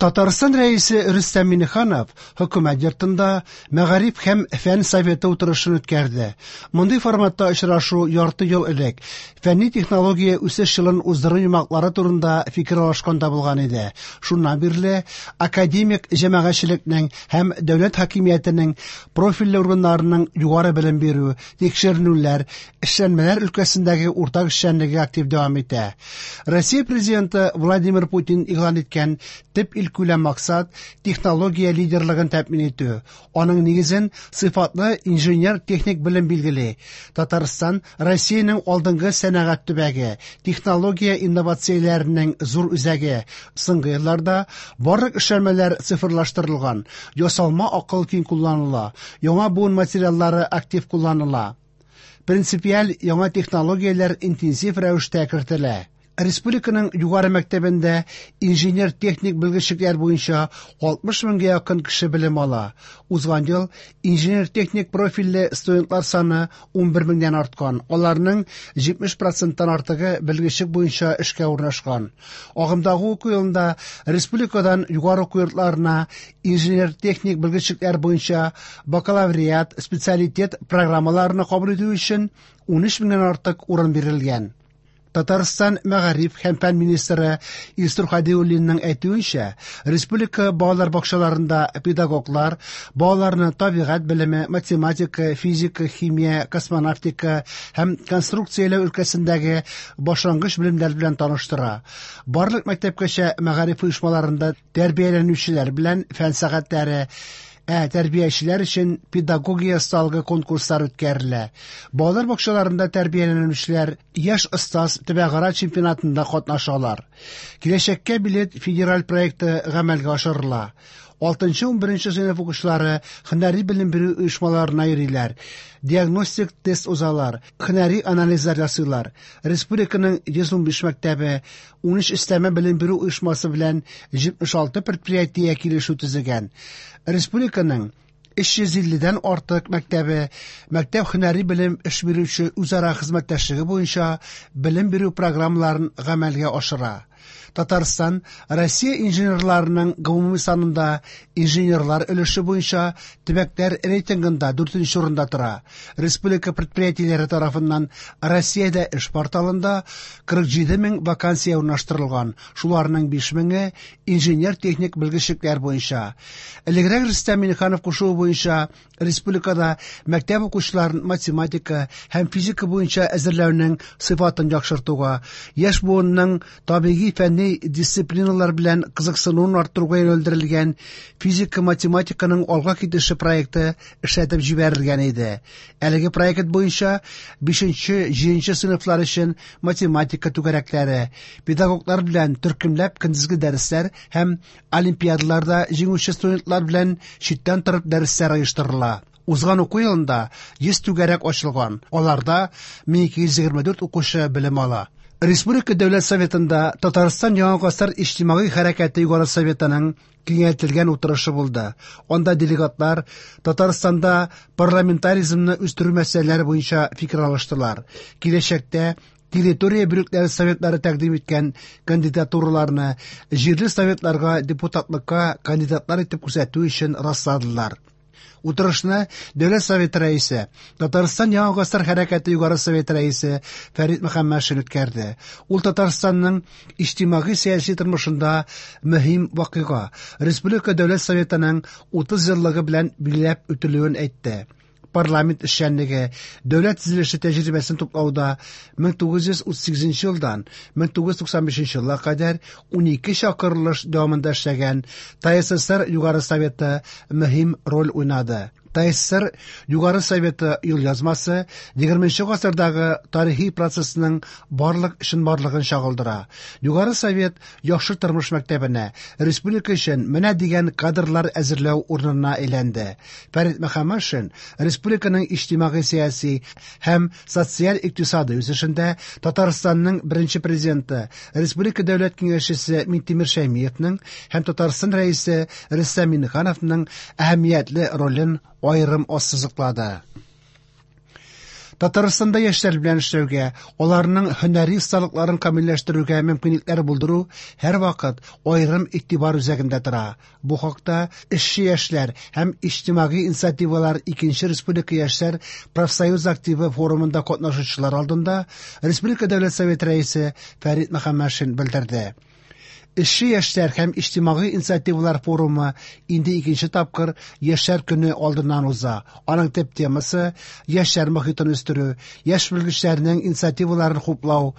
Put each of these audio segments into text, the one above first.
Татарстан Рәисе Рөстәм Миңнеханов Хөкүмәт йортында Мәгариф һәм фән советы утырышын үткәрде. Мондый форматта очрашу ярты ел элек фәнни-технология үсеш елын уздыру йомгаклары турында фикер алышканда булган иде. Шуннан бирле академик җәмәгатьчелекнең һәм дәүләт хакимиятенең профильле органнарының югары белем бирү, тикшеренүләр, эшләнмәләр өлкәсендәге уртак эшчәнлеге актив дәвам итә. Россия Президенты Владимир Путин игълан иткән төп илкүләм максат технология лидерлыгын тәэмин итү. Аның нигезен сыйфатлы инженер-техник белем билгели. Татарстан Россиянең алдынгы сәнәгать төбәге, технология инновацияләренең зур үзәге. Соңгы елларда барлык эшләнмәләр цифрлаштырылган, ясалма акыл киң кулланыла, яңа буын материаллары актив кулланыла. Принципиаль яңа технологияләр интенсив рәвештә кертелә. Республиканың югары мәктәбендә инженер-техник белгечлекләр буенча 60 меңгә якын кеше белем ала. Узган ел инженер-техник профильле студентлар саны 11 меңнән арткан. Аларның 70 проценттан артыгы белгечлек буенча эшкә урнашкан. Агымдагы уку елында республикадан югары уку йортларына инженер-техник белгечлекләр буенча бакалавриат, специалитет программаларына кабул итү өчен 13 меңнән артык урын бирелгән. Татарстан мәгариф һәм фән министры Илсур Һадиуллинның әйтүенчә, республика балалар бакчаларында педагоглар балаларны табигать белеме, математика, физика, химия, космонавтика һәм конструкцияләү өлкәсендәге башлангыч белемнәр белән таныштыра. Барлык мәктәпкәчә мәгариф оешмаларында тәрбияләнүчеләр белән фән сәгатьләре, ә тәрбиячеләр өчен педагогия осталыгы конкурслары үткәрелә. Балалар бакчаларында тәрбияләнүчеләр Яшь остаз төбәкара чемпионатында катнашалар. Киләчәккә билет федераль проекты гамәлгә ашырыла. 6-11 сыйныф укучылары һөнәри белем бирү оешмаларына йөриләр, диагностик тест узалар, һөнәри анализлар ясыйлар. Республиканың 115 мәктәбе 13 өстәмә белем бирү оешмасы белән 76 предприятие килешү төзегән. Республиканың 350 дән артык мәктәбе мәктәп һөнәри белем эш бирүче үзара хезмәттәшлеге буенча белем бирү программаларын гамәлгә ашыра. Татарстан Россия инженерларының гомуми санында инженерлар өлеше буенча төбәкләр рейтингында 4нче урында тора. Республика предприятиеләре тарафыннан Россиядә эш порталында 47 мең вакансия урнаштырылган, шуларның 5 меңе инженер-техник белгечлекләр буенча. Элегрәк Рөстәм Миңнеханов кушуы буенча республикада мәктәп укучыларын математика һәм физика буенча әзерләүнең сыйфатын яхшыртуга, яшь буынның табигый фәнни дисциплиналар белән кызыксынуын арттыруга юнәлдерелгән физика-математиканың алга китеше проекты эшләтеп җибәрелгән иде. Әлеге проект буенча 5-7 сыйныфлар өчен математика түгәрәкләре, педагоглар белән төркемләп көндезге дәресләр һәм олимпиадаларда җиңүче студентлар белән читтән торып дәресләр оештырыла. Узган уку елында 100 түгәрәк ачылган, аларда 1224 укучы белем ала. Республика Дәүләт Советында Татарстан Яңа гасыр иҗтимагый хәрәкәте Югары Советының киңәйтелгән утырышы булды. Анда делегатлар Татарстанда парламентаризмны үстерү мәсьәләләре буенча фикер алыштылар. Киләчәктә территория бүлекләре советлары тәкъдим иткән кандидатураларны җирле советларга депутатлыкка кандидатлар итеп күрсәтү өчен расладылар. Утырышны Дәүләт Советы рәисе, Татарстан Яңа гасыр хәрәкәте Югары Советы рәисе Фәрит Мөхәммәтшин үткәрде. Ул Татарстанның иҗтимагый-сәяси тормышында мөһим вакыйга, Республика Дәүләт Советының 30 еллыгы белән билгеләп үтелүен әйтте. Парламент эшчәнлеге, дәүләт төзелеше тәҗрибәсен туплауда 1938 елдан 1995 елга кадәр 12 чакырылыш дәвамында эшләгән ТАССР Югары Советы мөһим роль уйнады. ТАССР Югары Советы юлъязмасы 20 гасырдагы тарихи процессның барлык чынбарлыгын чагылдыра. Югары Совет яхшы тормыш мәктәбенә, республика өчен менә дигән кадрлар әзерләү урынына әйләнде. Фәрит Мөхәммәтшин республиканың иҗтимагый-сәяси һәм социаль-икътисадый үсешендә Татарстанның беренче президенты, Республика Дәүләт Киңәшчесе Минтимер Шәймиевның һәм Татарстан Рәисе Рөстәм Миңнехановның әһәмиятле ролен аерым ассызыклады. Татарстанда яшьләр белән эшләүгә, аларның һөнәри осталыкларын камилләштерүгә мөмкинлекләр булдыру һәрвакыт аерым игътибар үзәгендә тора. Бу хакта Эшче яшьләр һәм иҗтимагый инициативалар икенче республика яшьләр профсоюз активы форумында катнашучылар алдында Республика Дәүләт Советы Рәисе Фәрит Мөхәммәтшин белдерде. Эшче яшьләр һәм иҗтимагый инициативалар форумы инде икенче тапкыр Яшьләр көне алдыннан уза. Аның төп темасы яшьләр мохитен үстерү, яшь белгечләрнең инициативаларын хуплау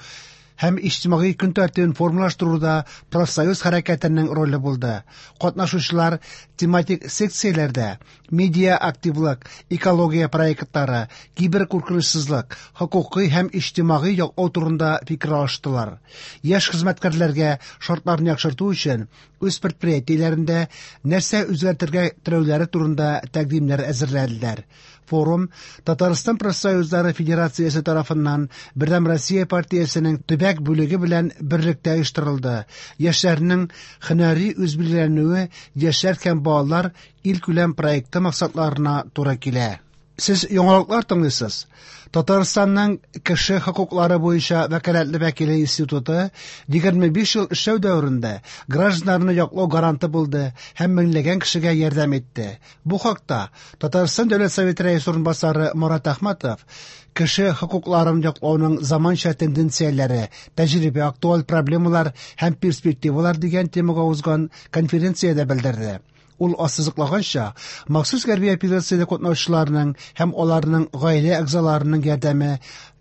һәм иҗтимагый көн тәртибен формалаштыруда профсоюз хәрәкәтенең роле булды. Катнашучылар тематик секцияләрдә медиа активлык, экология проектлары, киберкуркынычсызлык, хокукый һәм иҗтимагый яклау турында фикер алыштылар. Яшь хезмәткәрләргә шартларны яхшырту өчен үз предприятиеләрендә нәрсә үзгәртергә теләүләре турында тәкъдимнәр әзерләделәр. Форум Татарстан профсоюзлары федерациясе тарафыннан Бердәм Россия партиясенең төбәк бүлеге белән берлектә оештырылды. Яшьләрнең һөнәри үзбилгеләнүе Яшьләр һәм балалар илкүләм проекты максатларына туры килә. Сез яңалыклар тыңлыйсыз. Татарстанның кеше хокуклары буенча вәкаләтле вәкиле институты 25 ел эшләү дәверендә гражданнарны яклау гаранты булды һәм меңләгән кешегә ярдәм итте. Бу хакта Татарстан Дәүләт Советы рәисе урынбасары Марат Әхмәтов кеше хокукларын яклауның заманча тенденцияләре, тәҗрибә, актуаль проблемалар һәм перспективалар дигән темага узган конференциядә белдерде. Ул ассызыклаганча, махсус хәрби операциядә катнашучыларның һәм аларның гаилә әгъзаларының ярдәме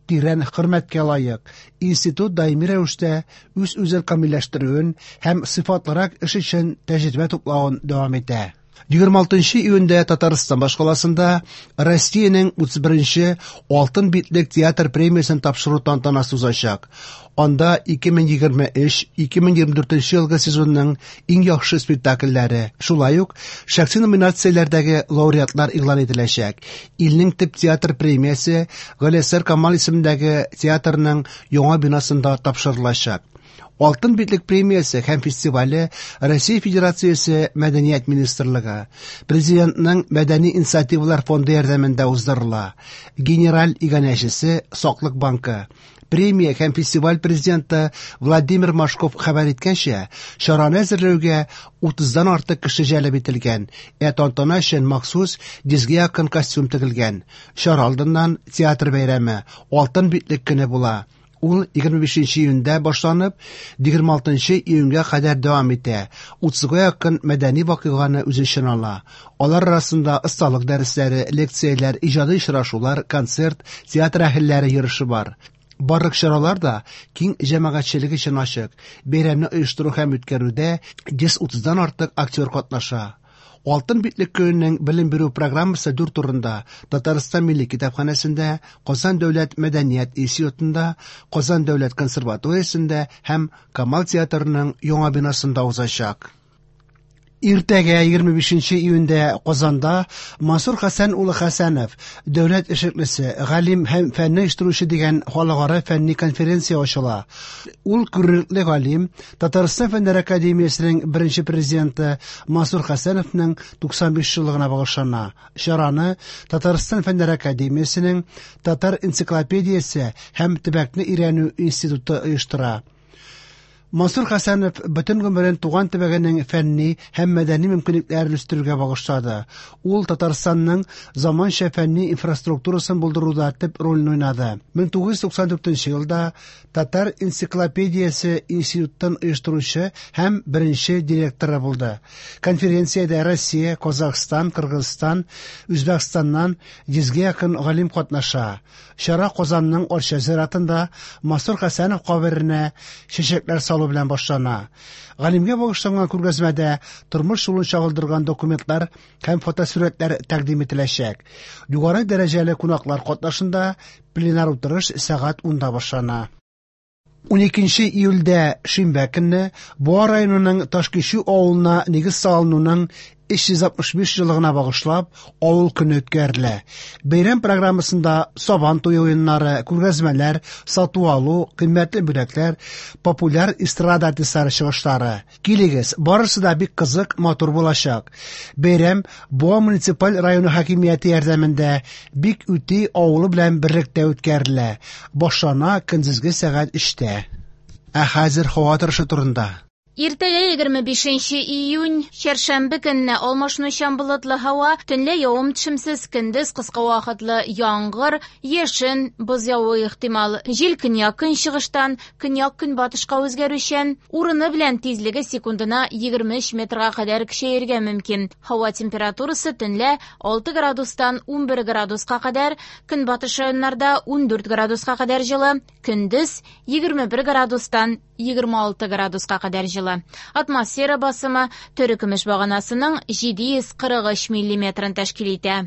тирән хөрмәткә лаек. Институт даими рәвештә үз-үзен камилләштерүен һәм сыйфатлырак эш өчен тәҗрибә туплавын дәвам итә. 26 июньдә Татарстан башкаласында Россиянең 31-нче Алтын битлек театр премиясен тапшыру тантанасы узачак. Анда 2023-2024 елгы сезонның иң яхшы спектакльләре, шулай ук шәхси номинацияләрдәге лауреатлар игълан ителәчәк. Илнең төп театр премиясе Галиәсгар Камал исемендәге театрның яңа бинасында тапшырылачак. Алтын битлек премиясе һәм фестивале Россия Федерациясе Мәдәният министрлыгы, Президентның Мәдәни инициативалар фонды ярдәмендә уздырыла. Генераль иганәчесе Саклык банкы. Премия һәм фестиваль президенты Владимир Машков хәбәр иткәнчә, чараны әзерләүгә 30-дан артык кеше җәлеп ителгән, ә тантана өчен махсус 100-гә якын костюм тегелгән. Чара алдыннан театр бәйрәме, Алтын битлек көне була. Ул 25 июньдә башланып, 26 июньгә кадәр дәвам итә. 30-га якын мәдәни вакыйганы үз эченә ала. Алар арасында осталык дәресләре, лекцияләр, иҗади очрашулар, концерт, театр әһелләре йөреше бар. Барлык чаралар да киң җәмәгатьчелек өчен ачык. Бәйрәмне оештыру һәм үткәрүдә 130-дан артык актер катнаша. Алтын битлек көненең белем бирү программасы дүрт урында: Татарстан Милли китапханәсендә, Казан дәүләт мәдәният институтында, Казан дәүләт консерваториясендә һәм Камал театрының яңа бинасында узачак. Иртәгә 25 июньдә Казанда Мансур Хәсән улы Хәсәнов, дәүләт эшлеклесе, галим һәм фәнне оештыручы дигән халыкара фәнни конференция ачыла. Ул күренекле галим, Татарстан Фәннәр академиясенең беренче президенты Мансур Хәсәновның 95 еллыгына багышлана. Чараны Татарстан Фәннәр академиясенең Татар энциклопедиясе һәм төбәкне өйрәнү институты оештыра. Мансур Хәсәнов бөтен гомерен туган төбәгенең фәнни һәм мәдәни мөмкинлекләрен үстерүгә багышлады. Ул Татарстанның заманча фәнни инфраструктурасын булдыруда төп рольне уйнады. 1994 елда Татар энциклопедиясе институтын оештыручы һәм беренче директоры булды. Конференциядә Россия, Казахстан, Кыргызстан, Үзбәкстаннан 100-гә якын галим катнаша. Чара Казанның Арча зиратында Мансур Хәсәнов каберенә чәчәкләр салу белән башлана. Галимгә багышланган күргәзмәдә тормыш юлын чагылдырган документлар һәм фотосурәтләр тәкъдим ителәчәк. Югары дәрәҗәле кунаклар катнашында пленар утырыш сәгать 10-да башлана. 12 июльдә шимбә көнне Буа районының Ташкичү авылына нигез салынуның 365 еллыгына багышлап, Авыл көне үткәрелә. Бәйрәм программасында Сабан туе уеннары, күргәзмәләр, сату-алу, кыйммәтле бүләкләр, популяр эстрада артистлары чыгышлары. Килегез, барысы да бик кызык, матур булачак. Бәйрәм Буа муниципаль районы хакимияте ярдәмендә Бик-Үти авылы белән берлектә үткәрелә. Башлана көндезге сәгать 3-тә. Ә хәзер һава торышы турында. Иртәгә 25 июнь, чәршәмбе көнне алмашынучан болытлы һава, төнлә явым-төшемсез, көндез кыска вакытлы яңгыр, яшен, боз явуы ихтимал. Җил көньяк-көнчыгыштан, көньяк-көнбатышка үзгәрүчән, урыны белән тизлеге секундына 23 метрга кадәр көчәергә мөмкин. Һава температурасы төнлә 6 градустан 11 градуска кадәр, көнбатыш районнарда 14 градуска кадәр җылы, көндез 21 градустан 26 градуска кадәр җылы. Атмосфера басымы терекөмеш баганасының 743 миллиметрын тәшкил итә.